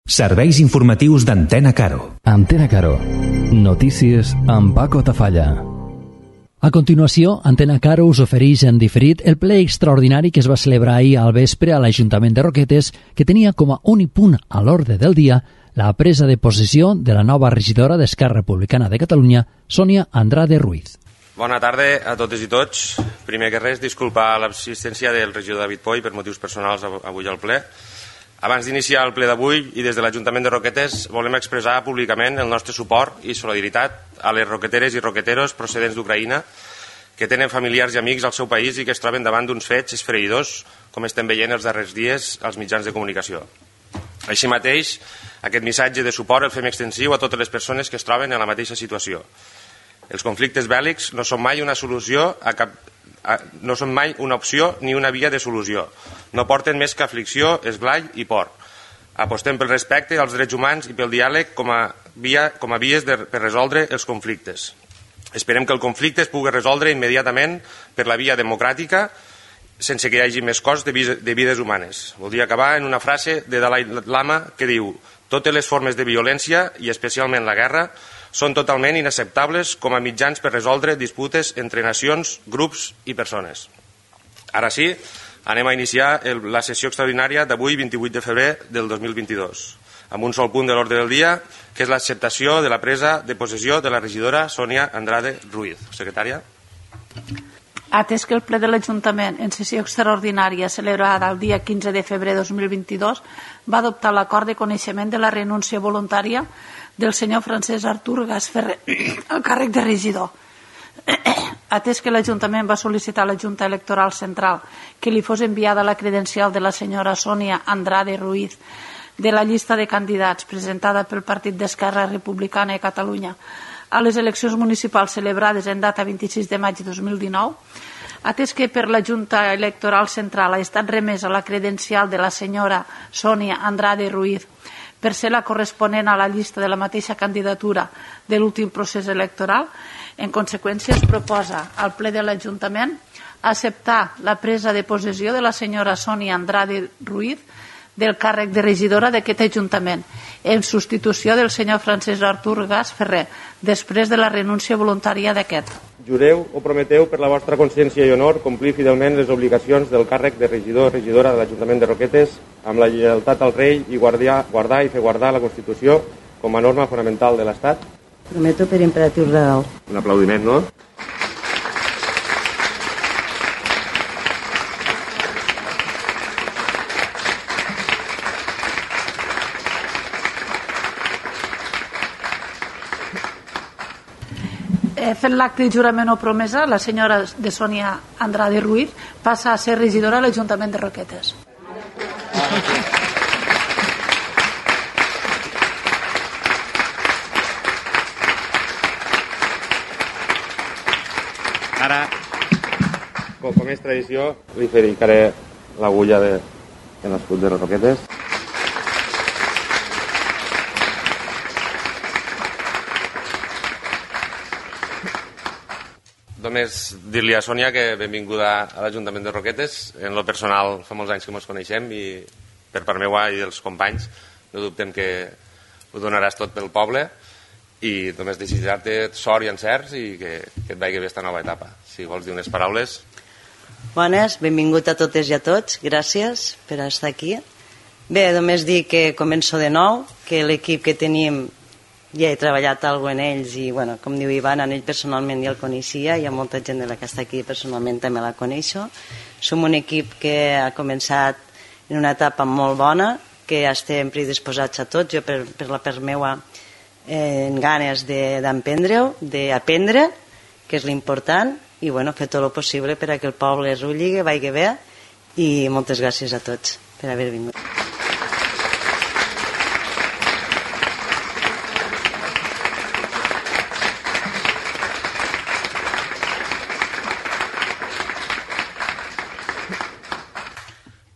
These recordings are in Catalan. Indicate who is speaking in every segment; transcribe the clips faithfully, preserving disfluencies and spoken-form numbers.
Speaker 1: Serveis informatius d'Antena Caro.
Speaker 2: Antena Caro. Notícies amb Paco Tafalla.
Speaker 3: A continuació, Antena Caro us ofereix en diferit el ple extraordinari que es va celebrar ahir al vespre a l'Ajuntament de Roquetes, que tenia com a únic punt a l'ordre del dia la presa de possessió de la nova regidora d'Esquerra Republicana de Catalunya, Sònia Andrade Ruiz.
Speaker 4: Bona tarda a totes i tots. Primer que res, disculpar l'assistència del regidor David Poy per motius personals avui al ple. Abans d'iniciar el ple d'avui i des de l'Ajuntament de Roquetes volem expressar públicament el nostre suport i solidaritat a les roqueteres i roqueteros procedents d'Ucraïna que tenen familiars i amics al seu país i que es troben davant d'uns fets esfereïdors, com estem veient els darrers dies als mitjans de comunicació. Així mateix, aquest missatge de suport el fem extensiu a totes les persones que es troben en la mateixa situació. Els conflictes bèl·lics no són mai una solució a cap no són mai una opció ni una via de solució. No porten més que aflicció, esglai i por. Apostem pel respecte als drets humans i pel diàleg com a, via, com a vies de, per resoldre els conflictes. Esperem que el conflicte es pugui resoldre immediatament per la via democràtica sense que hi hagi més cost de, de vides humanes. Voldria acabar en una frase de Dalai Lama que diu: totes les formes de violència, i especialment la guerra, són totalment inacceptables com a mitjans per resoldre disputes entre nacions, grups i persones. Ara sí, anem a iniciar el, la sessió extraordinària d'avui, vint-i-vuit de febrer del dos mil vint-i-dos, amb un sol punt de l'ordre del dia, que és l'acceptació de la presa de possessió de la regidora Sònia Andrade Ruiz. Secretària.
Speaker 5: Atès que el ple de l'Ajuntament en sessió extraordinària celebrada el dia quinze de febrer de dos mil vint-i-dos va adoptar l'acord de coneixement de la renúncia voluntària del senyor Francesc Artur Gasferrer al càrrec de regidor. Atès que l'Ajuntament va sol·licitar a la Junta Electoral Central que li fos enviada la credencial de la senyora Sònia Andrade Ruiz de la llista de candidats presentada pel Partit d'Esquerra Republicana de Catalunya a les eleccions municipals celebrades en data vint-i-sis de maig de dos mil dinou, atès que per la Junta Electoral Central ha estat remesa la credencial de la senyora Sònia Andrade Ruiz per ser la corresponent a la llista de la mateixa candidatura de l'últim procés electoral, en conseqüència es proposa al ple de l'Ajuntament acceptar la presa de possessió de la senyora Sònia Andrade Ruiz del càrrec de regidora d'aquest Ajuntament, en substitució del senyor Francesc Artur Gasferrer, després de la renúncia voluntària d'aquest.
Speaker 4: Jureu o prometeu per la vostra consciència i honor complir fidelment les obligacions del càrrec de regidor o regidora de l'Ajuntament de Roquetes amb la lleialtat al rei i guardiar, guardar i fer guardar la Constitució com a norma fonamental de l'Estat?
Speaker 6: Prometo per imperatiu real.
Speaker 4: Un aplaudiment, no?
Speaker 5: Fent l'acte de jurament o promesa, la senyora de Sònia Andrade Ruiz passa a ser regidora a l'Ajuntament de Roquetes.
Speaker 4: Ara, com, com és tradició, li ficaré l'agulla de, en l'escut de les Roquetes. Només dir-li a Sònia que benvinguda a l'Ajuntament de Roquetes. En lo personal fa molts anys que ens coneixem i per part meua i dels companys no dubtem que ho donaràs tot pel poble i només desitjar-te sort i encerts i que, que et vagi bé esta nova etapa. Si vols dir unes paraules.
Speaker 6: Bones, benvingut a totes i a tots, gràcies per estar aquí. Bé, només dir que començo de nou, que l'equip que tenim ja he treballat alguna en ells i, bueno, com diu Ivan, en ell personalment ja el coneixia, hi ha molta gent de la que està aquí personalment també la coneixo. Som un equip que ha començat en una etapa molt bona, que estem predisposats a tots, jo per, per la part meua eh, en ganes d'emprendre-ho, d'aprendre, que és l'important, i bueno, fer tot el possible per a que el poble es rulli, vagi bé, i moltes gràcies a tots per haver vingut.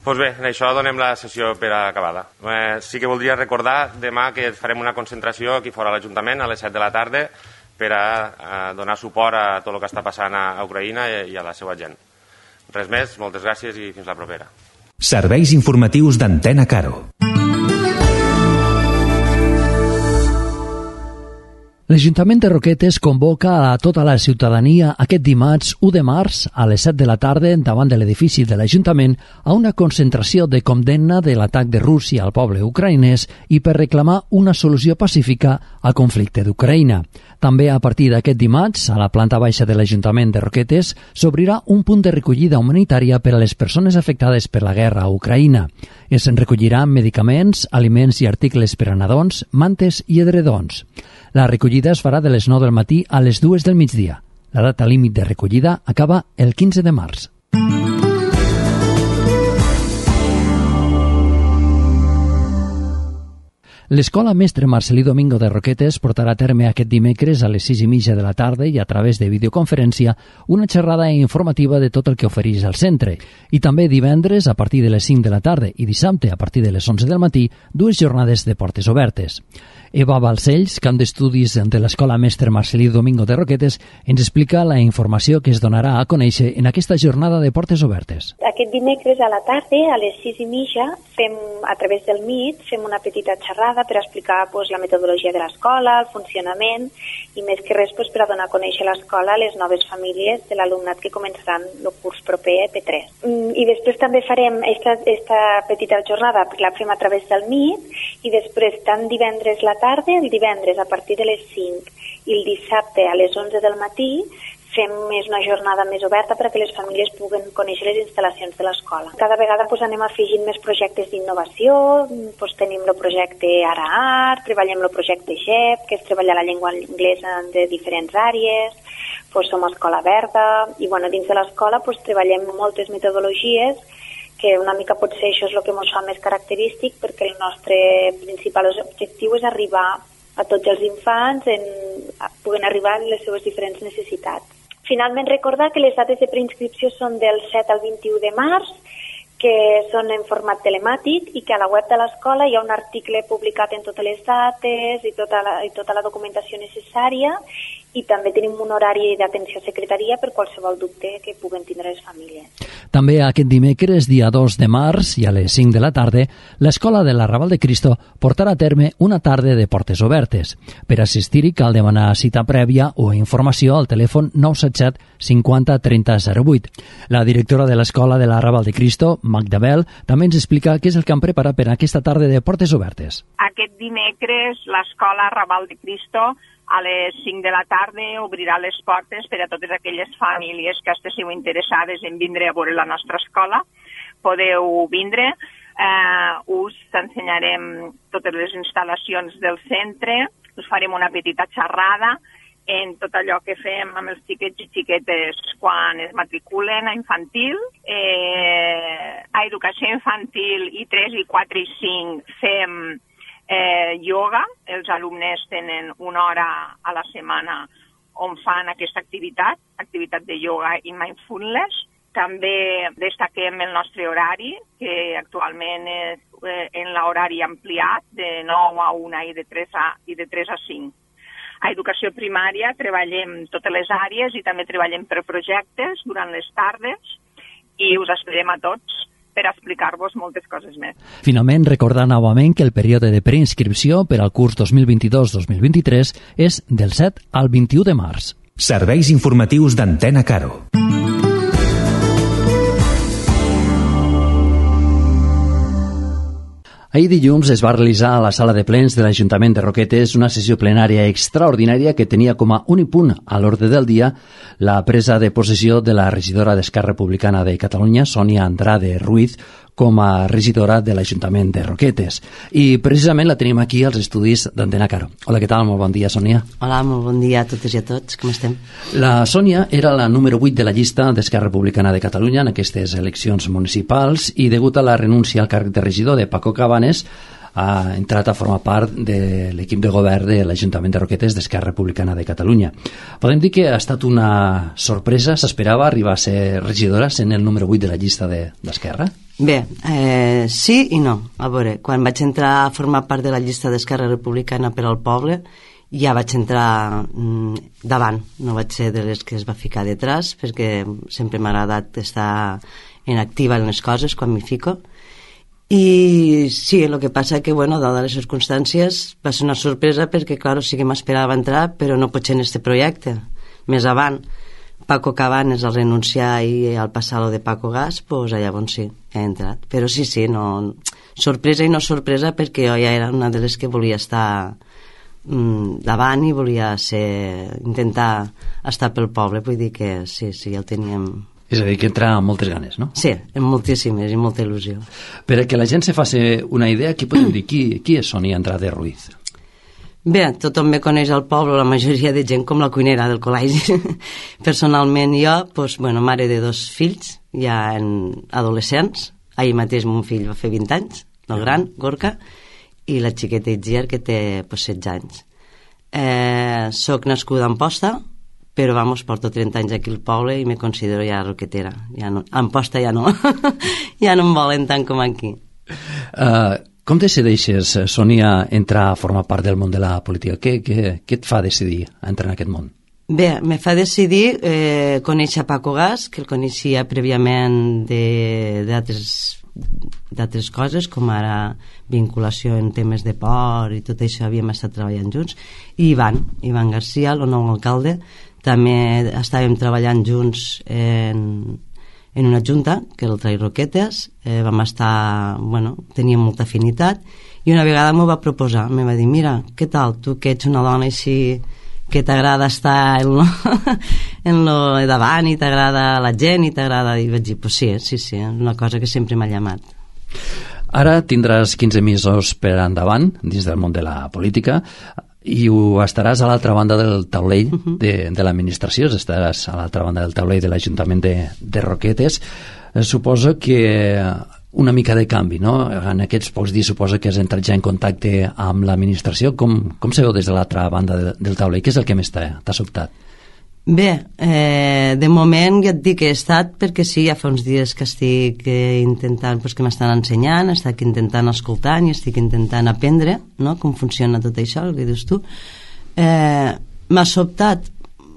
Speaker 4: Doncs bé, en això donem la sessió per acabada. Eh, sí que voldria recordar demà que farem una concentració aquí fora a l'Ajuntament a les set de la tarda per a, a donar suport a tot el que està passant a, a Ucraïna i, i a la seva gent. Res més, moltes gràcies i fins la propera.
Speaker 1: Serveis informatius d'Antena Caro.
Speaker 3: L'Ajuntament de Roquetes convoca a tota la ciutadania aquest dimarts u de març a les set de la tarda davant de l'edifici de l'Ajuntament a una concentració de condemna de l'atac de Rússia al poble ucraïnès i per reclamar una solució pacífica al conflicte d'Ucraïna. També a partir d'aquest dimarts, a la planta baixa de l'Ajuntament de Roquetes, s'obrirà un punt de recollida humanitària per a les persones afectades per la guerra a Ucraïna. Es recolliran medicaments, aliments i articles per a nadons, mantes i edredons. La recollida es farà de les nou del matí a les dues del migdia. La data límit de recollida acaba el quinze de març. L'Escola Mestre Marcelí Domingo de Roquetes portarà a terme aquest dimecres a les sis i mitja de la tarda i a través de videoconferència una xerrada informativa de tot el que ofereix el centre. I també divendres a partir de les cinc de la tarda i dissabte a partir de les onze del matí dues jornades de portes obertes. Eva Balcells, camp d'estudis de l'Escola Mestre Marcelí Domingo de Roquetes, ens explica la informació que es donarà a conèixer en aquesta jornada de portes obertes.
Speaker 7: Aquest dimecres a la tarda, a les sis i mitja, fem, a través del Meet, fem una petita xerrada per explicar pues, la metodologia de l'escola, el funcionament, i més que res pues, per a donar a conèixer l'escola a les noves famílies de l'alumnat que començaran el curs proper P tres. I després també farem esta, esta petita jornada, la fem a través del Meet, i després tant divendres la tarda, el divendres a partir de les cinc i el dissabte a les onze del matí fem més una jornada més oberta perquè les famílies puguen conèixer les instal·lacions de l'escola. Cada vegada pues, anem afegint més projectes d'innovació, pues, tenim el projecte Ara Art, treballem el projecte G E P, que és treballar la llengua anglesa de diferents àrees, pues, som escola verda, i bueno, dins de l'escola pues, treballem moltes metodologies que una mica potser això és el que ens fa més característic perquè el nostre principal objectiu és arribar a tots els infants en, puguen arribar a les seves diferents necessitats. Finalment, recordar que les dates de preinscripció són del set al vint-i-u de març, que són en format telemàtic i que a la web de l'escola hi ha un article publicat en totes les dates i tota la, i tota la documentació necessària, i també tenim un horari d'atenció a secretaria per qualsevol dubte que puguen tindre les famílies.
Speaker 3: També aquest dimecres, dia dos de març, i a les cinc de la tarda, l'Escola de l'Arrabal de Cristo portarà a terme una tarda de portes obertes. Per assistir-hi cal demanar cita prèvia o informació al telèfon nou set set cinquanta trenta zero vuit. La directora de l'Escola de l'Arrabal de Cristo, Magda Bell, també ens explica què és el que han preparat per a aquesta tarda de portes obertes.
Speaker 8: Aquest dimecres l'Escola Arrabal de Cristo a les cinc de la tarda obrirà les portes per a totes aquelles famílies que estigueu interessades en vindre a veure la nostra escola. Podeu vindre, eh, us ensenyarem totes les instal·lacions del centre, us farem una petita xerrada en tot allò que fem amb els xiquets i xiquetes quan es matriculen a infantil. Eh, a educació infantil i tres, i quatre i cinc fem Eh, yoga. Els alumnes tenen una hora a la setmana on fan aquesta activitat, activitat de yoga i mindfulness. També destaquem el nostre horari, que actualment és eh, en l'horari ampliat de nou a una i de tres a, i de tres a cinc. A educació primària treballem totes les àrees i també treballem per projectes durant les tardes i us esperem a tots per explicar-vos moltes coses més.
Speaker 3: Finalment, recordar novament que el període de preinscripció per al curs dos mil vint-i-dos dos mil vint-i-tres és del set al vint-i-u de març.
Speaker 1: Serveis informatius d'Antena Caro.
Speaker 3: Ahir dilluns es va realitzar a la sala de plens de l'Ajuntament de Roquetes una sessió plenària extraordinària que tenia com a únic punt a l'ordre del dia la presa de possessió de la regidora d'Esquerra Republicana de Catalunya, Sònia Andrade Ruiz, com a regidora de l'Ajuntament de Roquetes. I precisament la tenim aquí als estudis d'Antena Caro. Hola, què tal? Molt bon dia, Sònia.
Speaker 6: Hola, molt bon dia a totes i a tots. Com estem?
Speaker 3: La Sònia era la número vuit de la llista d'Esquerra Republicana de Catalunya en aquestes eleccions municipals i degut a la renúncia al càrrec de regidor de Paco Cabanes ha entrat a formar part de l'equip de govern de l'Ajuntament de Roquetes d'Esquerra Republicana de Catalunya. Podem dir que ha estat una sorpresa? S'esperava arribar a ser regidora sent el número vuit de la llista d'Esquerra?
Speaker 6: Bé, eh, sí i no. A veure, quan vaig entrar a formar part de la llista d'Esquerra Republicana per al poble, ja vaig entrar mm, davant, no vaig ser de les que es va ficar detrás, perquè sempre m'ha agradat estar en activa en les coses quan m'hi fico. I sí, el que passa que, bueno, dada les circumstàncies, va ser una sorpresa perquè, clar, sí que m'esperava entrar, però no pot ser en este projecte. Més avant, Paco Cabanes al renunciar i al passar lo de Paco Gas, pues allà on sí, he entrat. Però sí, sí, no, sorpresa i no sorpresa perquè jo ja era una de les que volia estar mm, davant i volia ser, intentar estar pel poble, vull dir que sí, sí, ja ho teníem.
Speaker 3: És a dir, que entra amb moltes ganes, no?
Speaker 6: Sí, amb moltíssimes i molta il·lusió.
Speaker 3: Per a que la gent se faci una idea, qui podem dir? Qui, qui és Sonia Andrade Ruiz?
Speaker 6: Bé, tothom me coneix al poble, la majoria de gent, com la cuinera del col·legi. Personalment jo, doncs, bueno, mare de dos fills, ja en adolescents. Ahir mateix mon fill va fer vint anys, el gran, Gorka, i la xiqueta Itziar, que té pues, setze anys. Eh, soc nascuda a Amposta, però vamos, porto trenta anys aquí al poble i me considero ja roquetera. Ja no, a Amposta ja no. Ja no em volen tant com aquí.
Speaker 3: Uh, com decideixes, Sonia, entrar a formar part del món de la política? Què, què, què et fa decidir entrar en aquest món?
Speaker 6: Bé, me fa decidir eh, conèixer Paco Gas, que el coneixia prèviament d'altres d'altres coses, com ara vinculació en temes de port i tot això, havíem estat treballant junts, i Ivan, Ivan García, el nou alcalde, també estàvem treballant junts en, en una junta, que era el Trai Roquetes, eh, vam estar, bueno, teníem molta afinitat, i una vegada m'ho va proposar, me va dir, mira, què tal, tu que ets una dona així que t'agrada estar en lo, en lo davant i t'agrada la gent i t'agrada, i vaig dir, pues sí, sí, sí, és una cosa que sempre m'ha llamat.
Speaker 3: Ara tindràs quinze mesos per endavant dins del món de la política i ho estaràs a l'altra banda del taulell de, de l'administració, estaràs a l'altra banda del taulell de l'Ajuntament de, de Roquetes. Eh, suposo que una mica de canvi, no? En aquests pocs dies suposo que has entrat ja en contacte amb l'administració. Com, com se veu des de l'altra banda de, del taulell? Què és el que més t'ha sobtat?
Speaker 6: Bé, eh, de moment ja et dic que he estat perquè sí, ja fa uns dies que estic eh, intentant, pues, que m'estan ensenyant, estic intentant escoltant i estic intentant aprendre, no?, com funciona tot això, el que dius tu. Eh, m'ha sobtat.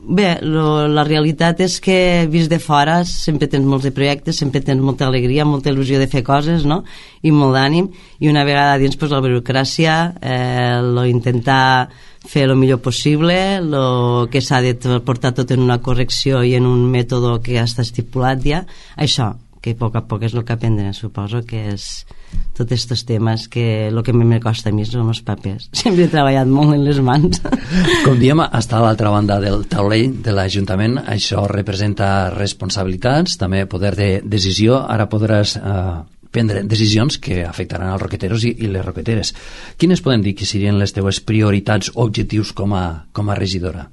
Speaker 6: Bé, lo, la realitat és que vist de fora sempre tens molts de projectes, sempre tens molta alegria, molta il·lusió de fer coses, no?, i molt d'ànim, i una vegada dins, pues, la burocràcia, eh, lo intentar fer el millor possible, lo que s'ha de portar tot en una correcció i en un mètode que ja està estipulat ja, això, que a poc a poc és el que aprendre, suposo que és tots aquests temes que el que me costa a mi són els papers. Sempre he treballat molt en les mans.
Speaker 3: Com diem, estar a l'altra banda del taulell de l'Ajuntament, això representa responsabilitats, també poder de decisió. Ara podràs eh, prendre decisions que afectaran els roqueteros i, i les roqueteres. Quines podem dir que serien les teves prioritats o objectius com a, com a regidora?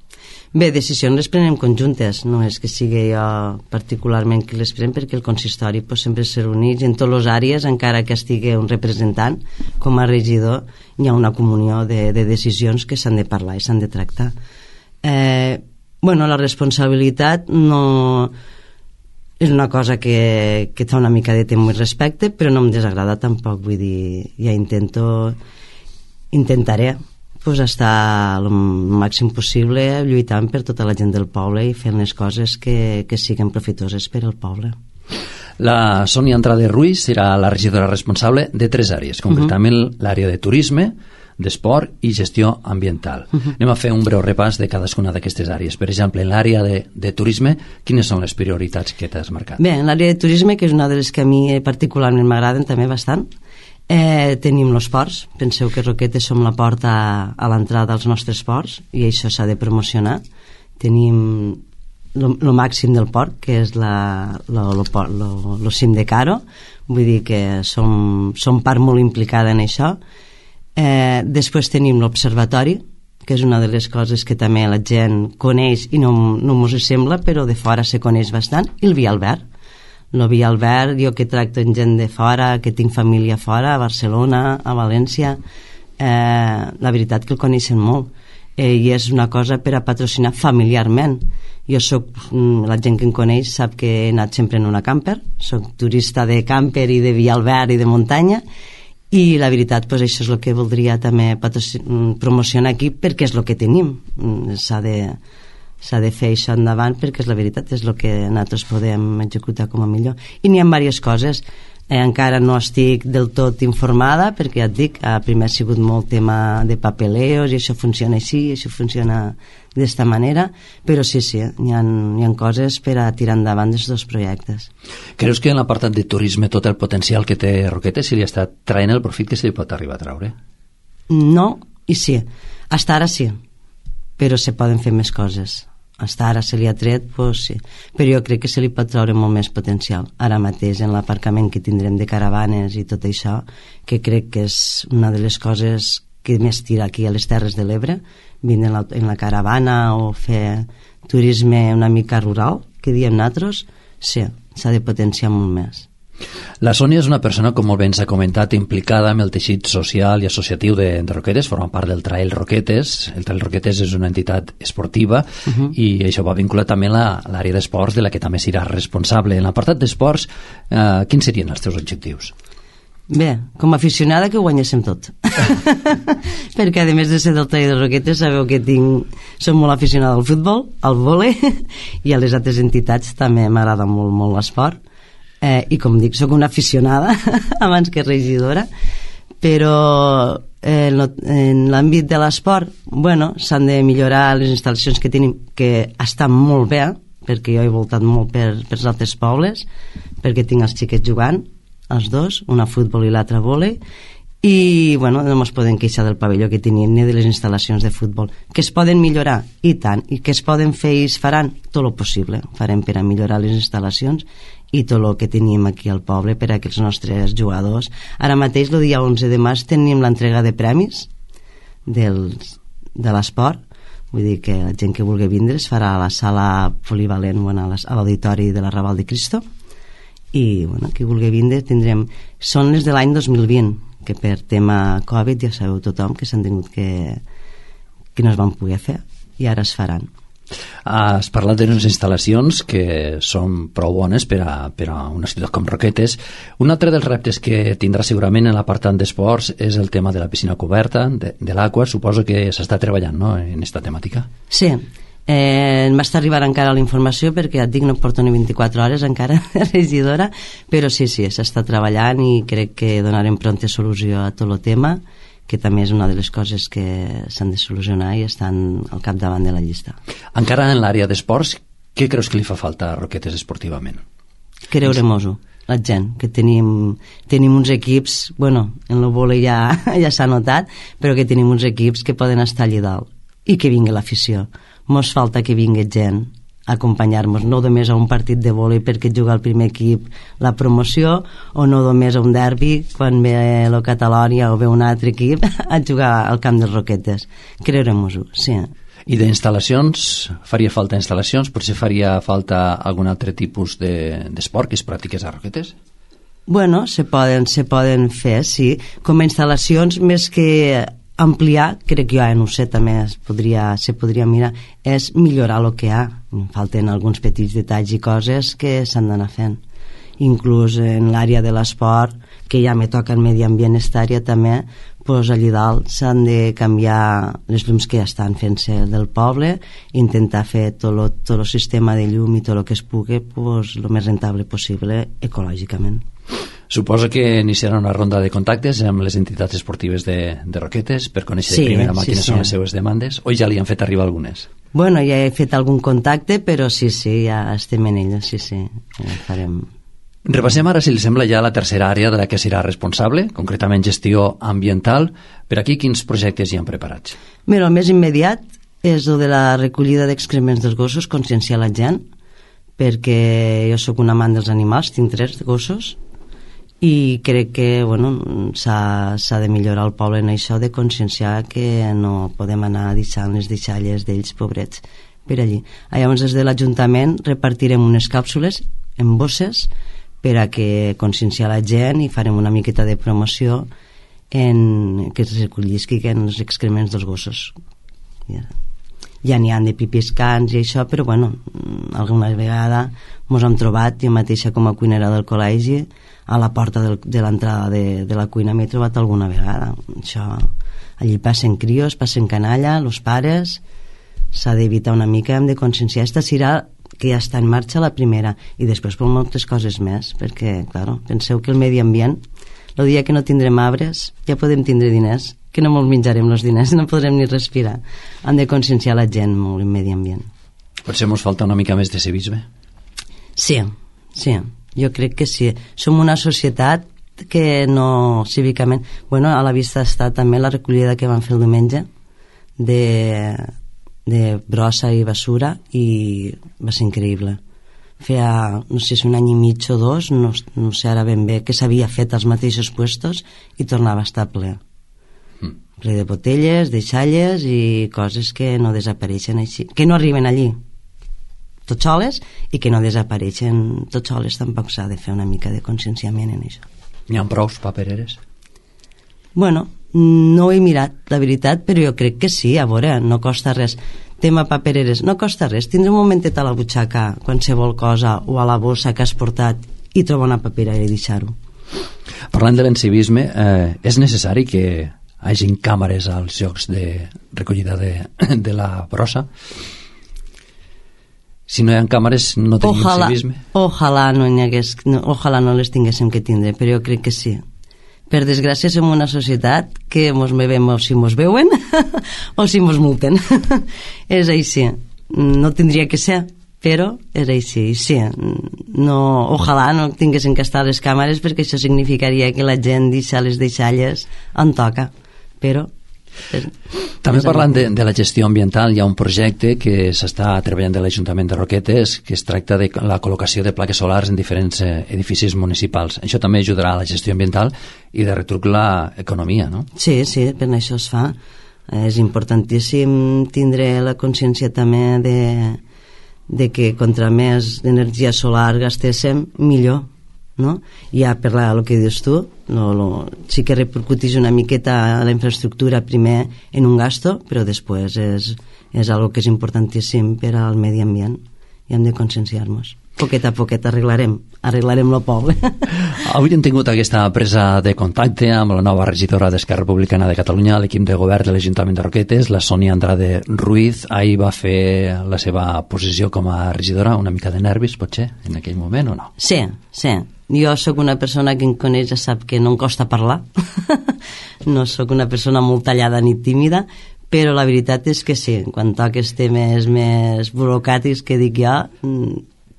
Speaker 6: Bé, decisions les prenem conjuntes, no és que sigui jo particularment qui les pren, perquè el consistori pues, sempre se reuneix en totes les àrees, encara que estigui un representant, com a regidor, hi ha una comunió de, de decisions que s'han de parlar i s'han de tractar. Eh, bueno, la responsabilitat no és una cosa que, que fa una mica de temor i respecte, però no em desagrada tampoc, vull dir, ja intento, intentaré pues, estar el màxim possible lluitant per tota la gent del poble i fent les coses que, que siguin profitoses per al poble.
Speaker 3: La Sonia Andrade Ruiz serà la regidora responsable de tres àrees, concretament uh-huh. l'àrea de turisme, d'esport i gestió ambiental. Uh-huh. Anem a fer un breu repàs de cadascuna d'aquestes àrees. Per exemple, en l'àrea de, de turisme, quines són les prioritats que t'has marcat?
Speaker 6: Bé, en l'àrea de turisme, que és una de les que a mi particularment m'agraden també bastant, Eh, tenim els ports. Penseu que Roquetes som la porta a, a l'entrada dels nostres ports i això s'ha de promocionar. Tenim el màxim del port, que és la, lo, lo, lo, lo cim de Caro, vull dir que som, som part molt implicada en això. Eh, després tenim l'observatori, que és una de les coses que també la gent coneix i no, no mos sembla, però de fora se coneix bastant, i el Via Albert. El Via Albert, jo que tracto amb gent de fora, que tinc família fora, a Barcelona, a València, eh, la veritat que el coneixen molt, eh, i és una cosa per a patrocinar familiarment. Jo soc, la gent que em coneix sap que he anat sempre en una camper, soc turista de camper i de Via Albert i de muntanya, i la veritat, pues, això és el que voldria també promocionar aquí, perquè és el que tenim. S'ha de s'ha de fer això endavant perquè és la veritat, és el que nosaltres podem executar com a millor. I n'hi ha diverses coses. Eh, encara no estic del tot informada perquè ja et dic, a primer ha sigut molt tema de papeleos i això funciona així, això funciona d'esta manera, però sí, sí, hi ha, hi ha coses per a tirar endavant dels dos projectes.
Speaker 3: Creus que en l'apartat de turisme tot el potencial que té Roquetes se li està traient el profit que se li pot arribar a traure?
Speaker 6: No, i sí. Hasta ara sí, però se poden fer més coses. Hasta ara se li ha tret, doncs sí. Però jo crec que se li pot treure molt més potencial. Ara mateix, en l'aparcament que tindrem de caravanes i tot això, que crec que és una de les coses que més tira aquí a les Terres de l'Ebre, vindre en la, en la caravana o fer turisme una mica rural, que diem nosaltres, sí, s'ha de potenciar molt més.
Speaker 3: La Sònia és una persona, com molt bé ens ha comentat, implicada amb el teixit social i associatiu de, de Roquetes, forma part del Trail Roquetes. El Trail Roquetes és una entitat esportiva uh-huh. i això va vincular també a l'àrea d'esports, de la que també serà responsable. En l'apartat d'esports, eh, quins serien els teus objectius?
Speaker 6: Bé, com a aficionada que ho guanyéssim tot. Perquè a més de ser del Trail de Roquetes sabeu que tinc, som molt aficionada al futbol, al vòlei i a les altres entitats també m'agrada molt, molt l'esport. Eh, i com dic, sóc una aficionada abans que regidora, però eh, en l'àmbit de l'esport, bueno, s'han de millorar les instal·lacions que tenim, que estan molt bé, perquè jo he voltat molt per, per els altres pobles, perquè tinc els xiquets jugant, els dos, una a futbol i l'altra a vòlei, i bueno, no ens podem queixar del pavelló que tenim ni de les instal·lacions de futbol, que es poden millorar, i tant, i que es poden fer i es faran tot el possible, farem per a millorar les instal·lacions i tot el que tenim aquí al poble per a que els nostres jugadors. Ara mateix, el dia onze de març, tenim l'entrega de premis dels, de l'esport, vull dir que la gent que vulgui vindre es farà a la sala polivalent, bueno, a l'auditori de la Raval de Cristo, i bueno, qui vulgui vindre tindrem... Són les de l'any dos mil vint, que per tema Covid ja sabeu tothom que s'han tingut que, que no es van poder fer, i ara es faran.
Speaker 3: Has parlat d'unes instal·lacions que són prou bones per a, per a una ciutat com Roquetes. Un altre dels reptes que tindrà segurament en l'apartat d'esports és el tema de la piscina coberta, de, de l'aigua. Suposo que s'està treballant, no?, en aquesta temàtica.
Speaker 6: Sí, eh, em va estar arribar encara la informació perquè ja et dic, no porto ni vint-i-quatre hores encara de regidora, però sí, sí, s'està treballant i crec que donarem pronta solució a tot el tema, que també és una de les coses que s'han de solucionar i estan al capdavant de la llista.
Speaker 3: Encara en l'àrea d'esports, què creus que li fa falta a Roquetes esportivament?
Speaker 6: Creure-mos-ho, la gent, que tenim, tenim uns equips, bueno, en el vòlei ja, ja s'ha notat, però que tenim uns equips que poden estar allà dalt i que vingui l'afició. Mos falta que vingui gent a acompanyar-nos, no només a un partit de vòlei perquè juga el primer equip la promoció, o no només a un derbi quan ve el Catalònia o ve un altre equip a jugar al camp dels Roquetes. Creurem-ho, sí.
Speaker 3: I d'instal·lacions, faria falta instal·lacions? Potser faria falta algun altre tipus de, d'esport que es practiqués a Roquetes?
Speaker 6: Bueno, se poden, se poden fer, sí. Com a instal·lacions, més que ampliar, crec que jo ja no ho sé, també es podria, se podria mirar, és millorar el que hi ha. Falten alguns petits detalls i coses que s'han d'anar fent. Inclús en l'àrea de l'esport, que ja me toca el medi ambient, esta àrea també, pues allà dalt s'han de canviar les llums que ja estan fent-se del poble, intentar fer tot el, tot el sistema de llum i tot el que es pugui pues, el més rentable possible ecològicament.
Speaker 3: Suposo que iniciarà una ronda de contactes amb les entitats esportives de, de Roquetes per conèixer
Speaker 6: sí,
Speaker 3: de primera mà
Speaker 6: sí,
Speaker 3: quines
Speaker 6: sí.
Speaker 3: són les seves demandes, o ja li han fet arribar algunes?
Speaker 6: Bueno, ja he fet algun contacte, però sí, sí, ja estem en ella, sí, sí, ja farem...
Speaker 3: Repassem ara, si li sembla, ja la tercera àrea de la que serà responsable, concretament gestió ambiental. Per aquí, quins projectes hi han preparats?
Speaker 6: Mira, el més immediat és el de la recollida d'excrements dels gossos, conscienciar la gent, perquè jo sóc un amant dels animals, tinc tres gossos, i crec que bueno, s'ha, s'ha de millorar el poble en això, de conscienciar que no podem anar deixant les deixalles d'ells, pobrets, per allí. Llavors, des de l'Ajuntament repartirem unes càpsules en bosses per a que conscienciar la gent i farem una miqueta de promoció en que es recollisquen els excrements dels gossos. Ja, ja n'hi ha de pipiscans i això, però bueno, alguna vegada mos hem trobat, jo mateixa com a cuinera del col·legi, a la porta del, de l'entrada de, de la cuina m'he trobat alguna vegada. Això, allí passen crios, passen canalla, els pares, s'ha d'evitar una mica, hem de conscienciar. Esta serà que ja està en marxa la primera, i després per moltes coses més, perquè, clar, penseu que el medi ambient, el dia que no tindrem arbres, ja podem tindre diners, que no ens menjarem els diners, no podrem ni respirar. Hem de conscienciar la gent molt en medi ambient.
Speaker 2: Potser ens falta una mica més de civisme?
Speaker 6: Sí, sí, jo crec que sí. Som una societat que no, cívicament... Bueno, a la vista està també la recollida que van fer el diumenge de, de brossa i basura, i va ser increïble. Feia, no sé si un any i mig o dos, no, no sé ara ben bé, que s'havia fet als mateixos puestos i tornava a estar ple. Mm. Ple de botelles, de xalles i coses que no desapareixen així, que no arriben allí tot soles i que no desapareixen tot soles. Tampoc s'ha de fer una mica de conscienciament en això.
Speaker 2: N'hi ha prous papereres?
Speaker 6: Bueno, no ho he mirat, la veritat, però jo crec que sí, a veure, no costa res. Tema papereres, no costa res, tindre un momentet a la butxaca qualsevol cosa o a la bossa que has portat i trobar una paperera i deixar-ho.
Speaker 2: Parlant de l'encivisme, eh, és necessari que hagin càmeres als llocs de recollida de, de la brossa? Si no hi ha càmeres no tenim
Speaker 6: ojalà,
Speaker 2: civisme?
Speaker 6: Ojalà no n'hi hagués, no, ojalà no les tinguéssim que tindre, però jo crec que sí. Per desgràcia som una societat que mos bevem o si mos veuen o si mos multen. És així. No tindria que ser, però és així. Sí, no, ojalà no tinguessin que estar les càmeres, perquè això significaria que la gent deixa les deixalles on toca. Però... És,
Speaker 2: també parlant de, de la gestió ambiental, hi ha un projecte que s'està treballant de l'Ajuntament de Roquetes, que es tracta de la col·locació de plaques solars en diferents eh, edificis municipals. Això també ajudarà a la gestió ambiental i de retruc l'economia, no?
Speaker 6: Sí, sí, per això es fa. És importantíssim tindre la consciència també de, de que contra més energia solar gastéssim, millor, no? Ja per la, el que dius tu, no, no, sí que repercutís una miqueta a la infraestructura primer en un gasto, però després és, és algo que és importantíssim per al medi ambient i hem de conscienciar-nos. Poquet a poquet arreglarem, arreglarem el poble.
Speaker 2: Avui hem tingut aquesta presa de contacte amb la nova regidora d'Esquerra Republicana de Catalunya, l'equip de govern de l'Ajuntament de Roquetes, la Sònia Andrade Ruiz. Ahir va fer la seva posició com a regidora, una mica de nervis, potser, en aquell moment, o no?
Speaker 6: Sí, sí. Jo sóc una persona que em coneix, ja sap que no em costa parlar. No sóc una persona molt tallada ni tímida, però la veritat és que sí, quan toques temes més burocràtics que dic jo,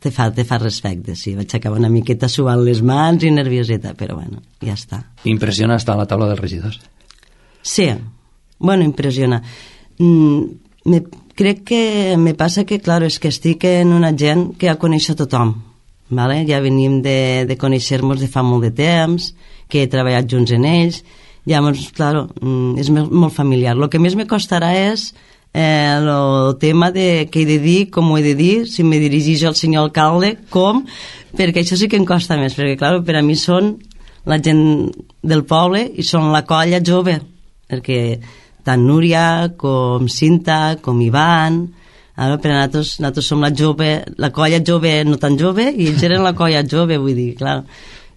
Speaker 6: te fa, te fa respecte, sí. Vaig acabar una miqueta suant les mans i nervioseta, però bueno, ja està.
Speaker 2: Impressiona estar a la taula dels regidors?
Speaker 6: Sí, bueno, impressiona. Mm, me, crec que me passa que, clar, és que estic en una gent que ja coneix a tothom, vale? Ja venim de, de conèixer-nos de fa molt de temps, que he treballat junts en ells, llavors, clar, mm, és molt familiar. El que més me costarà és Eh, el tema de què he de dir, com ho he de dir, si me dirigeix al senyor alcalde, com, perquè això sí que em costa més, perquè clar, per a mi són la gent del poble i són la colla jove, perquè tant Núria com Cinta com Ivan, ara, per a nosaltres, nosaltres som la jove, la colla jove no tan jove, i ells eren la colla jove, vull dir, clar,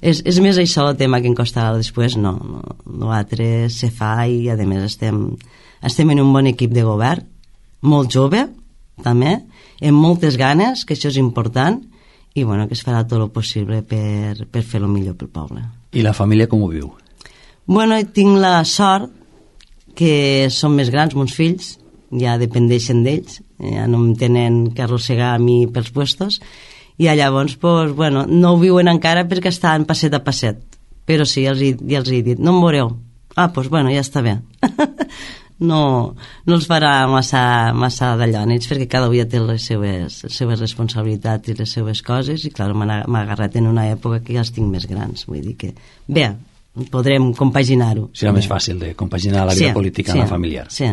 Speaker 6: és, és més això el tema que em costa. Després no, no, l'altre se fa i a més estem estem en un bon equip de govern, molt jove també, amb moltes ganes, que això és important, i bueno, que es farà tot el possible per, per fer-lo millor pel poble.
Speaker 2: I la família com ho viu?
Speaker 6: Bueno, tinc la sort que són més grans, meus fills, ja dependeixen d'ells, ja no em tenen que arrossegar a mi pels puestos, i llavors, pues, bueno, no ho viuen encara perquè estan passet a passet, però sí, ja els he, ja els he dit, no em veureu. Ah, doncs, bueno, ja està bé. No, no els farà massa, massa d'allò en ells, perquè cada dia té les seues, les seues responsabilitats i les seues coses, i clar, m'ha agarrat en una època que ja els tinc més grans, vull dir que bé, podrem compaginar-ho.
Speaker 2: Serà més fàcil de compaginar la vida sí, política
Speaker 6: sí,
Speaker 2: amb la familiar.
Speaker 6: Sí.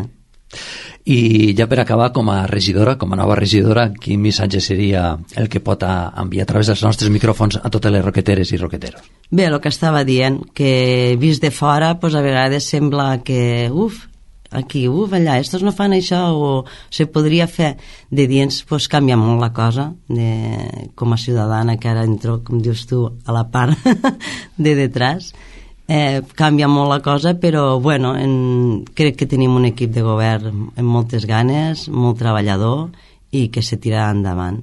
Speaker 2: I ja per acabar, com a regidora, com a nova regidora, quin missatge seria el que pot enviar a través dels nostres micròfons a totes les roqueteres i roqueteros?
Speaker 6: Bé, el que estava dient, que vist de fora, pues, a vegades sembla que, uf, aquí, uf, allà, estos no fan això, o se podria fer. De dins, pues, canvia molt la cosa, de, com a ciutadana, que ara entro, com dius tu, a la part de detrás. Eh, canvia molt la cosa, però bueno, en, crec que tenim un equip de govern amb moltes ganes, molt treballador, i que se tirarà endavant.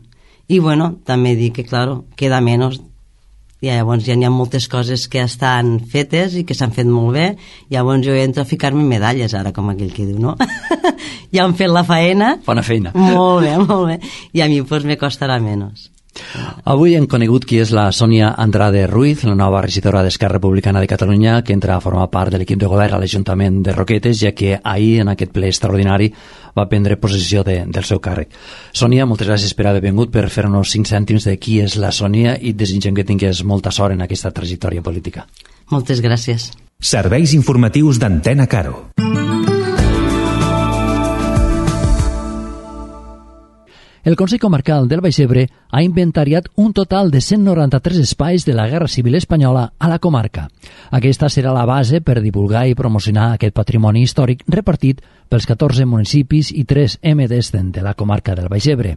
Speaker 6: I bueno, també dic que, claro, queda menys. I llavors ja n'hi ha moltes coses que estan fetes i que s'han fet molt bé. Llavors jo entro a ficar-me medalles ara, com aquell que diu, no? Ja han fet la faena.
Speaker 2: Bona feina.
Speaker 6: Molt bé, molt bé. I a mi pues, me costarà menys.
Speaker 2: Avui hem conegut qui és la Sònia Andrade Ruiz, la nova regidora d'Esquerra Republicana de Catalunya, que entra a formar part de l'equip de govern a l'Ajuntament de Roquetes, ja que ahir, en aquest ple extraordinari, va prendre possessió de, del seu càrrec. Sònia, moltes gràcies per haver vingut, per fer-nos cinc cèntims de qui és la Sònia i desitgem que tingués molta sort en aquesta trajectòria política.
Speaker 6: Moltes gràcies.
Speaker 1: Serveis informatius d'Antena Caro.
Speaker 3: El Consell Comarcal del Baix Ebre ha inventariat un total de cent noranta-tres espais de la Guerra Civil Espanyola a la comarca. Aquesta serà la base per divulgar i promocionar aquest patrimoni històric repartit pels catorze municipis i tres M Ds de la comarca del Baix Ebre.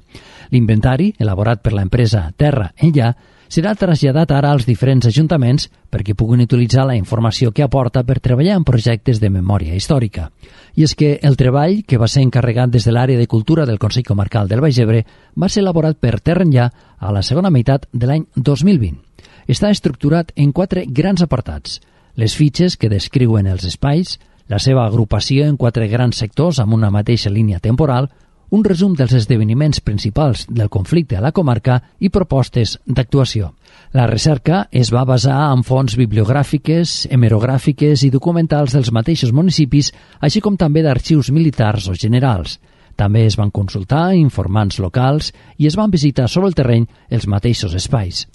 Speaker 3: L'inventari, elaborat per l'empresa Terra Enllà, serà traslladat ara als diferents ajuntaments perquè puguin utilitzar la informació que aporta per treballar en projectes de memòria històrica. I és que el treball, que va ser encarregat des de l'àrea de cultura del Consell Comarcal del Baix Ebre, va ser elaborat per Terra Enllà a la segona meitat de l'any dos mil vint. Està estructurat en quatre grans apartats: les fitxes que descriuen els espais, la seva agrupació en quatre grans sectors amb una mateixa línia temporal, un resum dels esdeveniments principals del conflicte a la comarca i propostes d'actuació. La recerca es va basar en fonts bibliogràfiques, hemerogràfiques i documentals dels mateixos municipis, així com també d'arxius militars o generals. També es van consultar informants locals i es van visitar sobre el terreny els mateixos espais.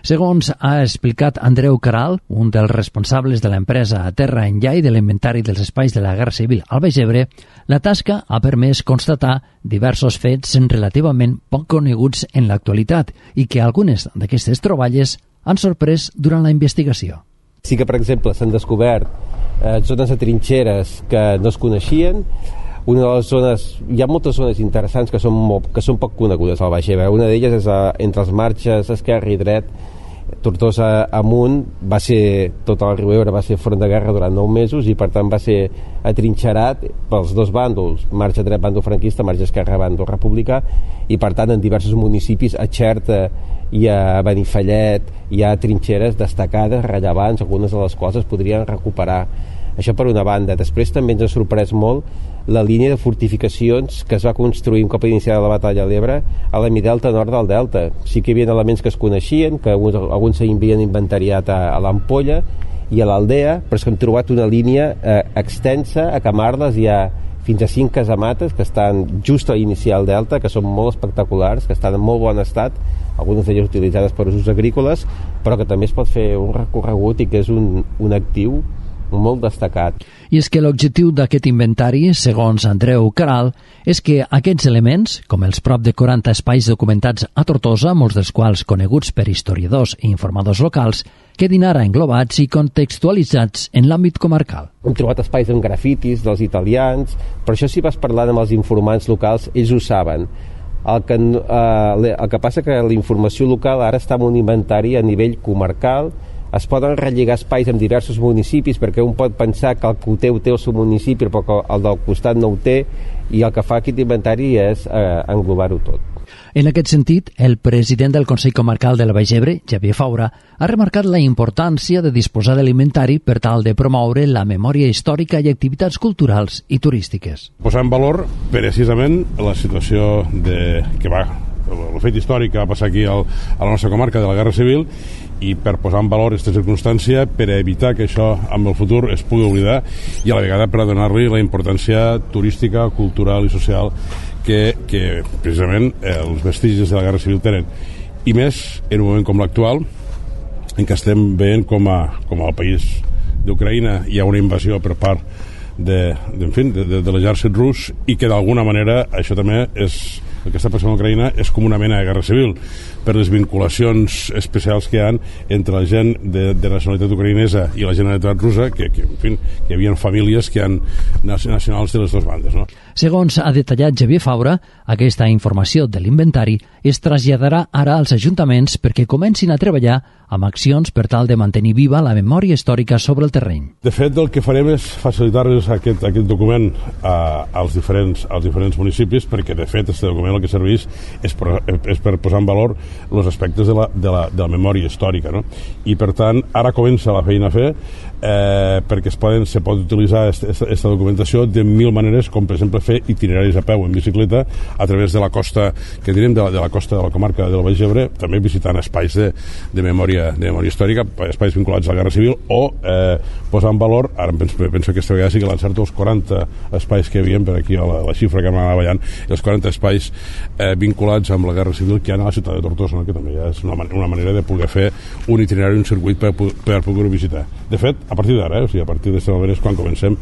Speaker 3: Segons ha explicat Andreu Caral, un dels responsables de l'empresa Terra Enllà i de l'inventari dels espais de la Guerra Civil al Baix Ebre, la tasca ha permès constatar diversos fets relativament poc coneguts en l'actualitat i que algunes d'aquestes troballes han sorprès durant la investigació.
Speaker 9: Sí que, per exemple, s'han descobert eh, zones de trinxeres que no es coneixien. Una de les zones, hi ha moltes zones interessants que són, molt, que són poc conegudes al Baix Ebre. Una d'elles és a, entre els marges esquerre i dret, Tortosa amunt, va ser, tot el riu Ebre va ser front de guerra durant nou mesos i per tant va ser atrinxerat pels dos bàndols, marge dret bàndol franquista, marge esquerre bàndol republicà, i per tant en diversos municipis, a Xerta i a Benifallet, hi ha trinxeres destacades, rellevants, algunes de les quals es podrien recuperar. Això per una banda. Després també ens ha sorprès molt la línia de fortificacions que es va construir un cop iniciada la batalla a l'Ebre a la mi-delta nord del delta. Sí que hi havia elements que es coneixien, que alguns, alguns s'havien inventariat a, a l'Ampolla i a l'Aldea, però és que hem trobat una línia eh, extensa. A Camarles hi ha fins a cinc casamates que estan just a l'iniciar el delta, que són molt espectaculars, que estan en molt bon estat, algunes d'elles utilitzades per usos agrícoles, però que també es pot fer un recorregut i que és un, un actiu molt destacat.
Speaker 3: I és que l'objectiu d'aquest inventari, segons Andreu Caral, és que aquests elements, com els prop de quaranta espais documentats a Tortosa, molts dels quals coneguts per historiadors i informadors locals, quedin ara englobats i contextualitzats en l'àmbit comarcal.
Speaker 9: Hem trobat espais amb grafitis dels italians, però això si vas parlant amb els informants locals, ells ho saben. El que, eh, el que passa que la informació local ara està en un inventari a nivell comarcal. Es poden relligar espais en diversos municipis perquè un pot pensar que el que ho té ho té el seu municipi però que el del costat no ho té, i el que fa aquest inventari és eh, englobar-ho tot.
Speaker 3: En aquest sentit, el president del Consell Comarcal del Baix Ebre, Xavier Faura, ha remarcat la importància de disposar de l'inventari per tal de promoure la memòria històrica i activitats culturals i turístiques.
Speaker 10: Posar en valor precisament la situació de, que va, el fet històric que va passar aquí al, a la nostra comarca de la Guerra Civil, i per posar en valor aquesta circumstància, per evitar que això amb el futur es pugui oblidar i a la vegada per a donar-li la importància turística, cultural i social que, que precisament eh, els vestigis de la Guerra Civil tenen. I més en un moment com l'actual, en què estem veient com a, com al país d'Ucraïna hi ha una invasió per part de, de, en fi, de, de, de l'exèrcit rus, i que d'alguna manera això també és, el que està passant a Ucraïna és com una mena de guerra civil per les vinculacions especials que hi ha entre la gent de, de nacionalitat ucraïnesa i la generalitat russa, que, que, en fi, que hi havia famílies que han nacionals de les dues bandes, no?
Speaker 3: Segons ha detallat Xavier Faura, aquesta informació de l'inventari es traslladarà ara als ajuntaments perquè comencin a treballar amb accions per tal de mantenir viva la memòria històrica sobre el terreny.
Speaker 10: De fet, el que farem és facilitar-los aquest, aquest document a, als, diferents, als diferents municipis, perquè de fet aquest document bàsicament el que serveix és per, és per posar en valor els aspectes de la, de la, de la memòria històrica, no? I per tant ara comença la feina a fer eh, perquè es, poden, se pot utilitzar aquesta documentació de mil maneres, com per exemple fer itineraris a peu en bicicleta a través de la costa que direm de la, de la costa de la comarca del Baix Ebre, també visitant espais de, de, memòria, de memòria històrica, espais vinculats a la Guerra Civil, o eh, posar en valor, ara penso, penso que aquesta vegada sí que l'encerto, els quaranta espais que hi havia per aquí a la, la xifra que m'anava ballant, els quaranta espais eh, vinculats amb la Guerra Civil que hi ha a la ciutat de Tortosa, no? Que també ja és una, una manera de poder fer un itinerari, un circuit per, per poder-ho visitar. De fet, a partir d'ara, eh? O sigui, a partir d'aquesta moment és quan comencem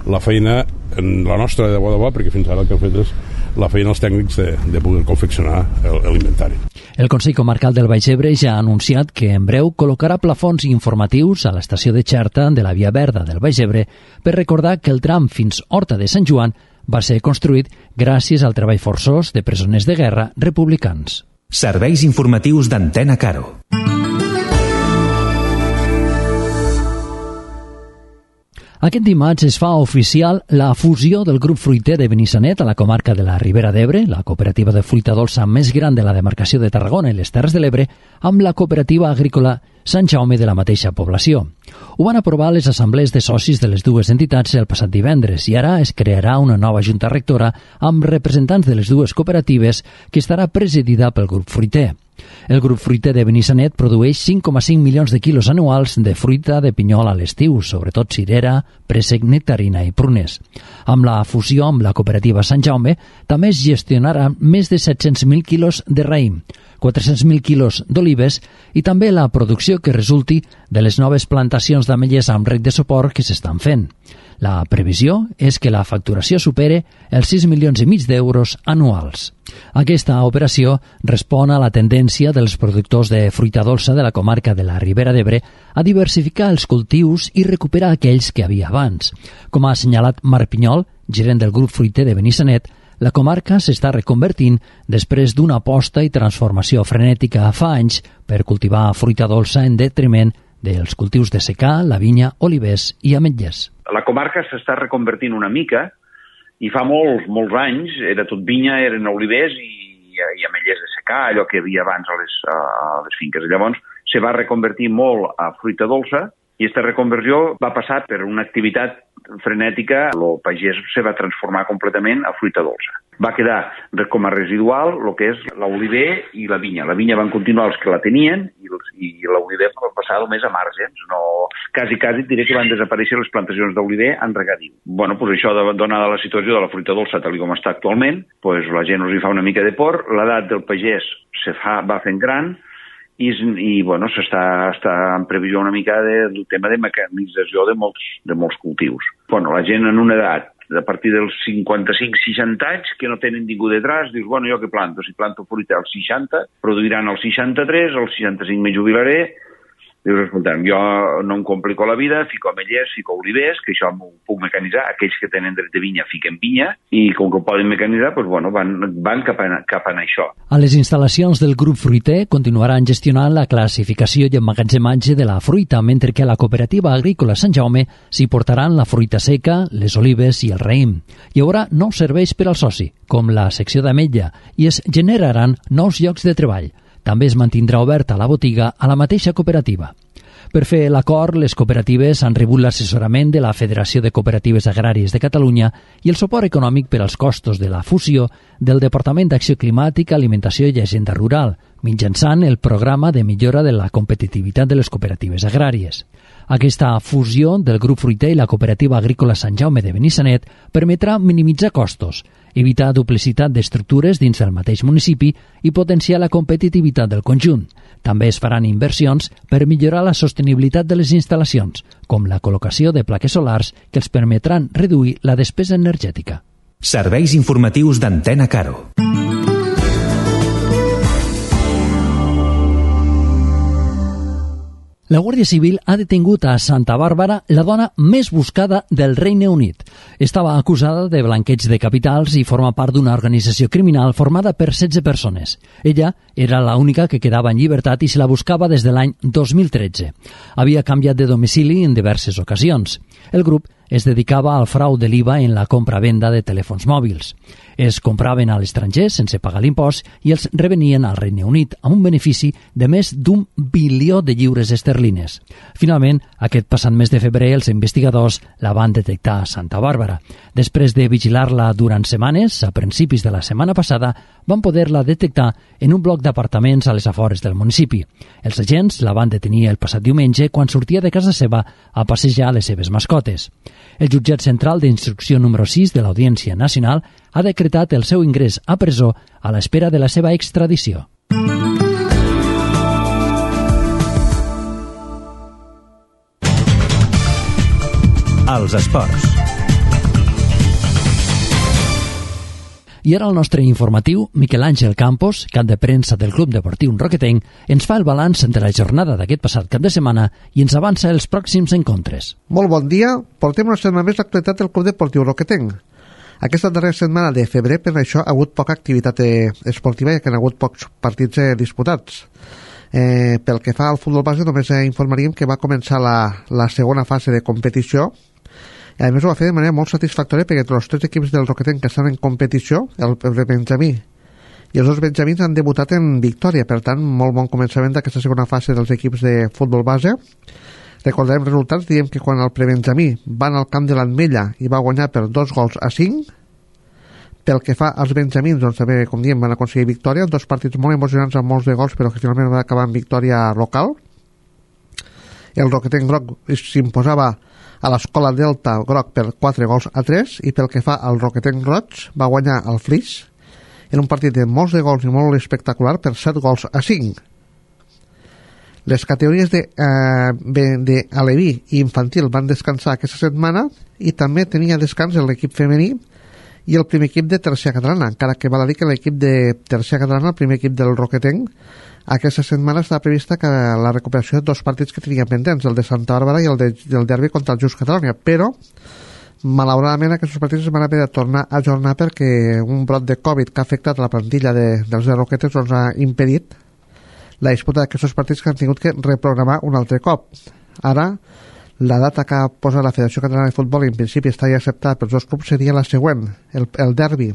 Speaker 10: la feina, la nostra de bo de bo, perquè fins ara el que hem fet és la feina als tècnics de, de poder confeccionar l'inventari.
Speaker 3: El Consell Comarcal del Baix Ebre ja ha anunciat que en breu col·locarà plafons informatius a l'estació de Xerta de la Via Verda del Baix Ebre per recordar que el tram fins Horta de Sant Joan va ser construït gràcies al treball forçós de presoners de guerra republicans.
Speaker 1: Serveis informatius d'Antena Caro.
Speaker 3: Aquest dimarts es fa oficial la fusió del grup fruiter de Benissanet a la comarca de la Ribera d'Ebre, la cooperativa de fruita dolça més gran de la demarcació de Tarragona i les Terres de l'Ebre, amb la cooperativa agrícola Sant Jaume de la mateixa població. Ho van aprovar les assemblees de socis de les dues entitats el passat divendres i ara es crearà una nova junta rectora amb representants de les dues cooperatives que estarà presidida pel grup fruiter. El grup fruiter de Benissanet produeix cinc coma cinc milions de quilos anuals de fruita de pinyol a l'estiu, sobretot cirera, préssec, nectarina i prunes. Amb la fusió amb la cooperativa Sant Jaume també es gestionaran més de set-cents mil quilos de raïm, quatre-cents mil quilos d'olives i també la producció que resulti de les noves plantacions d'ametlles amb rec de suport que s'estan fent. La previsió és que la facturació supere els sis milions i mig d'euros anuals. Aquesta operació respon a la tendència dels productors de fruita dolça de la comarca de la Ribera d'Ebre a diversificar els cultius i recuperar aquells que havia abans. Com ha assenyalat Marc Pinyol, gerent del grup fruiter de Benissanet, la comarca s'està reconvertint després d'una aposta i transformació frenètica fa anys per cultivar fruita dolça en detriment dels cultius de secà, la vinya, olivers i ametlles.
Speaker 11: La comarca s'està reconvertint una mica i fa molts, molts anys era tot vinya, eren olivers i, i ametlles de secà, allò que hi havia abans a les, a les finques. Llavors se va reconvertir molt a fruita dolça i aquesta reconversió va passar per una activitat frenètica, el pagès se va transformar completament a fruita dolça. Va quedar com a residual el que és l'oliver i la vinya. La vinya van continuar els que la tenien i, i l'oliver va passar només a margens. No, quasi, quasi diré que van desaparèixer les plantacions d'oliver en regadiu. Bueno, pues això, donada la situació de la fruita dolça tal com està actualment, pues la gent us hi fa una mica de por, l'edat del pagès se fa, va fent gran, i, i bueno, s'està està en previsió una mica de, del tema de mecanització de molts, de molts cultius. Bueno, la gent en una edat, a partir dels cinquanta-cinc seixanta anys, que no tenen ningú detrás, dius, bueno, jo què planto? Si planto fruita als seixanta, produiran als seixanta-tres, als seixanta-cinc me jubilaré. Dius, escolta'm, jo no em complico la vida, fico ametllers, fico olivers, que això m'ho puc mecanitzar. Aquells que tenen dret de vinya fiquen vinya i com que ho poden mecanitzar, doncs, bueno, van, van cap, a, cap a això.
Speaker 3: A les instal·lacions del grup fruiter continuaran gestionant la classificació i emmagatzematge de la fruita, mentre que a la cooperativa agrícola Sant Jaume s'hi portaran la fruita seca, les olives i el raïm. Hi haurà nous serveis per al soci, com la secció d'ametlla, i es generaran nous llocs de treball. També es mantindrà oberta la botiga a la mateixa cooperativa. Per fer l'acord, les cooperatives han rebut l'assessorament de la Federació de Cooperatives Agràries de Catalunya i el suport econòmic per als costos de la fusió del Departament d'Acció Climàtica, Alimentació i Agenda Rural, mitjançant el programa de millora de la competitivitat de les cooperatives agràries. Aquesta fusió del grup fruiter i la cooperativa agrícola Sant Jaume de Benissanet permetrà minimitzar costos, evitar duplicitat d'estructures dins del mateix municipi i potenciar la competitivitat del conjunt. També es faran inversions per millorar la sostenibilitat de les instal·lacions, com la col·locació de plaques solars que els permetran reduir la despesa energètica.
Speaker 1: Serveis informatius d'Antena Caro.
Speaker 3: La Guàrdia Civil ha detingut a Santa Bàrbara la dona més buscada del Regne Unit. Estava acusada de blanqueig de capitals i forma part d'una organització criminal formada per setze persones. Ella era l'única que quedava en llibertat i se la buscava des de l'any dos mil tretze. Havia canviat de domicili en diverses ocasions. El grup es dedicava al frau de l'I V A en la compra-venda de telèfons mòbils. Es compraven a l'estranger sense pagar l'impost i els revenien al Regne Unit amb un benefici de més d'un bilió de lliures esterlines. Finalment, aquest passat mes de febrer, els investigadors la van detectar a Santa Bàrbara. Després de vigilar-la durant setmanes, a principis de la setmana passada, van poder-la detectar en un bloc d'apartaments a les afores del municipi. Els agents la van detenir el passat diumenge quan sortia de casa seva a passejar les seves mascotes. El jutjat central d'instrucció número sis de l'Audiència Nacional ha decretat el seu ingrés a presó a l'espera de la seva extradició.
Speaker 1: Els esports.
Speaker 3: I ara el nostre informatiu, Miquel Àngel Campos, cap de premsa del Club Deportiu Roquetenc, ens fa el balanç de la jornada d'aquest passat cap de setmana i ens avança els pròxims encontres.
Speaker 12: Molt bon dia, portem una setmana més l'actualitat del Club Deportiu Roquetenc. Aquesta darrera setmana de febrer, per això, ha hagut poca activitat esportiva i que han hagut pocs partits eh, disputats. Eh, pel que fa al futbol base, només eh, informaríem que va començar la, la segona fase de competició. I a més ho va fer de manera molt satisfactòria perquè els tres equips del Roquetenc que estan en competició, el, el Benjamí i els dos Benjamins, han debutat en victòria. Per tant, molt bon començament d'aquesta segona fase dels equips de futbol base. Recordarem resultats, diem que quan el prebenjamí van al camp de l'Ametlla i va guanyar per dos gols a cinc. Pel que fa als benjamins, doncs també, com diem, van aconseguir victòria, dos partits molt emocionants amb molts de gols, però que finalment va acabar en victòria local. El Roquetenc groc s'imposava a l'escola Delta groc per quatre gols a tres, i pel que fa al Roquetenc roig va guanyar el Flix en un partit de molts de gols i molt espectacular per set gols a cinc. Les categories de, eh, de aleví i infantil van descansar aquesta setmana i també tenia descans l'equip femení i el primer equip de tercera catalana, encara que val a dir que l'equip de tercera catalana, el primer equip del Roquetenc, aquesta setmana està prevista que la recuperació de dos partits que tenien pendents, el de Santa Bàrbara i el de, del derbi contra el Just Catalonia, però malauradament aquests partits es van haver de tornar a ajornar perquè un brot de Covid que ha afectat la plantilla de, dels de Roquetes doncs ha impedit la disputa d'aquests partits que han tingut que reprogramar un altre cop. Ara, la data que ha posat la Federació Catalana de Futbol i en principi està ja acceptada pels dos clubs seria la següent. El, el derbi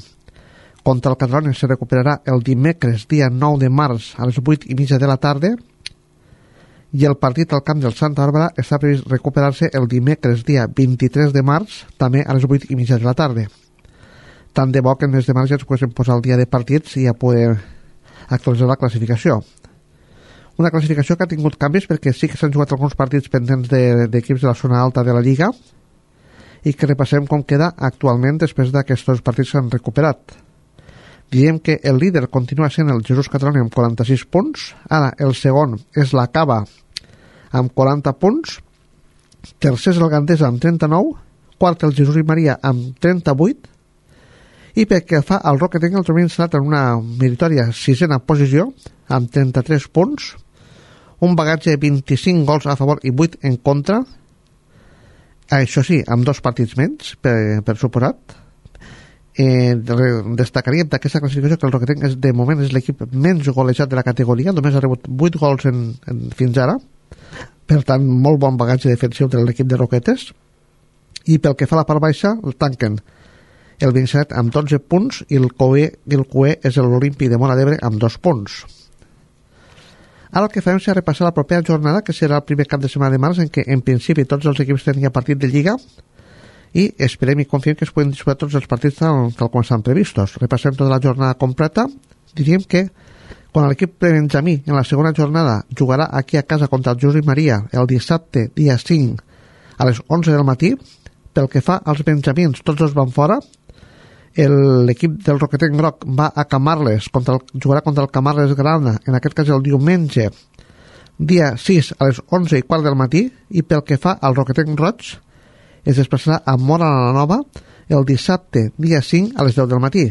Speaker 12: contra el Catalonia se recuperarà el dimecres, dia nou de març, a les vuit i mitja de la tarda, i el partit al camp del Santa Bàrbara està previst recuperar-se el dimecres, dia vint-i-tres de març, també a les vuit i mitja de la tarda. Tant de bo que en mes de març ja ens poguéssim posar el dia de partits i ja poder actualitzar la classificació. Una classificació que ha tingut canvis perquè sí que s'han jugat alguns partits pendents d'equips de, de la zona alta de la Lliga i que repassem com queda actualment després d'aquests partits que s'han recuperat. Diem que el líder continua sent el Jesús Catalonia amb quaranta-sis punts, ara el segon és la Cava amb quaranta punts, tercer és el Gandesa amb trenta-nou, quart el Jesús i Maria amb trenta-vuit, i pel que fa al Roquetenc el trobem instal·lat en una meritòria sisena posició amb trenta-tres punts, un bagatge de vint-i-cinc gols a favor i vuit en contra, això sí, amb dos partits menys, per, per suposat. Eh, destacaríem d'aquesta classificació que el Roquetenc és, de moment és l'equip menys golejat de la categoria, només ha rebut vuit gols en, en, fins ara, per tant molt bon bagatge defensiu de l'equip de Roquetes, i pel que fa a la part baixa el tanquen el vint-i-set amb dotze punts i el Cué, el Cué és l'Olímpic de Móra d'Ebre amb dos punts. Ara el que farem serà repassar la propera jornada, que serà el primer cap de setmana de març, en què en principi tots els equips tenien partit de Lliga i esperem i confiem que es poden disputar tots els partits tal, tal com estan previstos. Repassem tota la jornada completa. Diríem que quan l'equip Benjamí en la segona jornada jugarà aquí a casa contra el Jesús i Maria el dissabte, dia cinc, a les onze del matí, pel que fa als benjamins, tots dos van fora. L'equip del Roquetenc groc va a Camarles, contra el, jugarà contra el Camarles Grana, en aquest cas el diumenge, dia sis a les onze i quart del matí, i pel que fa al Roquetenc roig, es desplaçarà a Móra la Nova el dissabte, dia cinc a les deu del matí.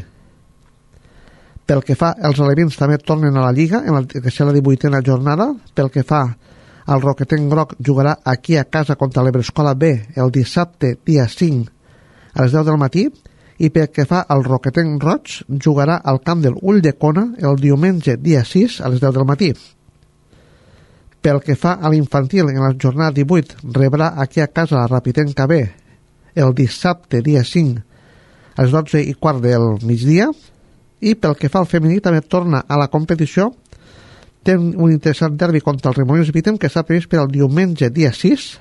Speaker 12: Pel que fa als alevins també tornen a la Lliga, en la, que serà la divuitena jornada. Pel que fa al Roquetenc groc, jugarà aquí a casa contra l'Ebrescola B el dissabte, dia cinc a les deu del matí, i pel que fa al Roquetenc roig, jugarà al camp del Ulldecona el diumenge, dia sis a les deu del matí. Pel que fa a l'infantil, en la jornada divuit rebrà aquí a casa la Rapitenca B el dissabte, dia cinc, a les dotze i quart del migdia. I pel que fa al femení, també torna a la competició. Té un interessant derbi contra el Remolins Vitem, que està previst per al diumenge, dia sis,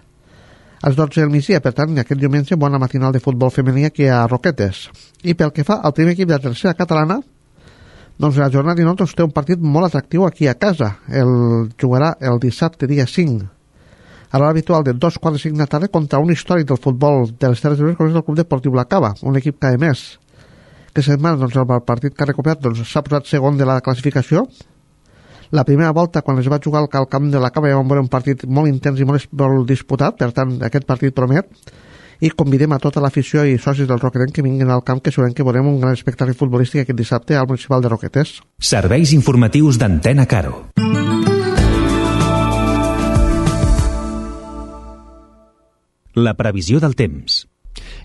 Speaker 12: a les dotze del migdia. Per tant, aquest diumenge, bona matinal de futbol femení aquí a Roquetes. I pel que fa al primer equip de la tercera catalana, doncs la jornada dinou doncs, té un partit molt atractiu aquí a casa. El jugarà el dissabte, dia cinc, a l'hora habitual de dos quarts de cinc de tarda, contra un històric del futbol de les Terres de l'Ebre, com és el Club Deportiu La Cava, un equip que, a més, que setmana, doncs, el partit que ha recuperat doncs, s'ha posat segon de la classificació. La primera volta, quan es va jugar al camp de La Cava, ja vam veure un partit molt intens i molt, molt disputat, per tant, aquest partit promet, i convidem a tota l'afició i socis del Roquetenc que vinguin al camp, que segurament que veurem un gran espectacle futbolístic aquest dissabte al Municipal de Roquetes.
Speaker 1: Serveis informatius d'Antena Caro. La previsió del temps.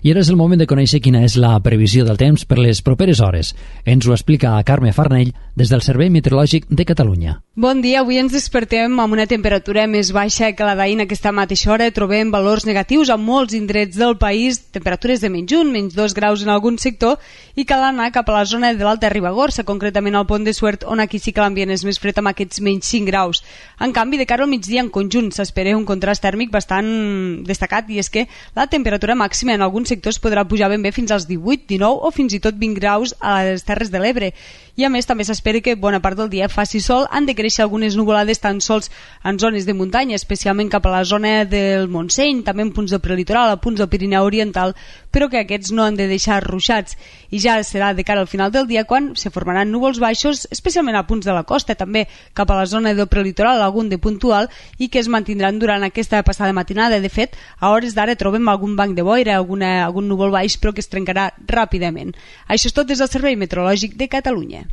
Speaker 3: I ara és el moment de conèixer quina és la previsió del temps per les properes hores. Ens ho explica Carme Farnell des del Servei Meteorològic de Catalunya.
Speaker 13: Bon dia, avui ens despertem amb una temperatura més baixa que la d'ahir. A aquesta mateixa hora trobem valors negatius a molts indrets del país, temperatures de menys un, menys dos graus en algun sector, i cal anar cap a la zona de l'Alta Ribagorça, concretament al Pont de Suert, on aquí sí que l'ambient és més fred amb aquests menys cinc graus. En canvi, de cara al migdia en conjunt s'espera un contrast tèrmic bastant destacat, i és que la temperatura màxima en alguns sectors podrà pujar ben bé fins als divuit, dinou o fins i tot vint graus a les Terres de l'Ebre. I a més també s'espera que bona part del dia faci sol. Han de créixer algunes nuvolades tan sols en zones de muntanya, especialment cap a la zona del Montseny, també en punts del prelitoral, a punts del Pirineu Oriental, però que aquests no han de deixar ruixats. I ja serà de cara al final del dia quan se formaran núvols baixos, especialment a punts de la costa, també cap a la zona del prelitoral, algun de puntual, i que es mantindran durant aquesta passada matinada. De fet, a hores d'ara trobem algun banc de boira, alguna, algun núvol baix, però que es trencarà ràpidament. Això és tot des del Servei Meteorològic de Catalunya.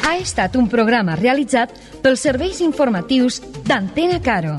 Speaker 14: Ha estat un programa realitzat pels serveis informatius d'Antena Caro.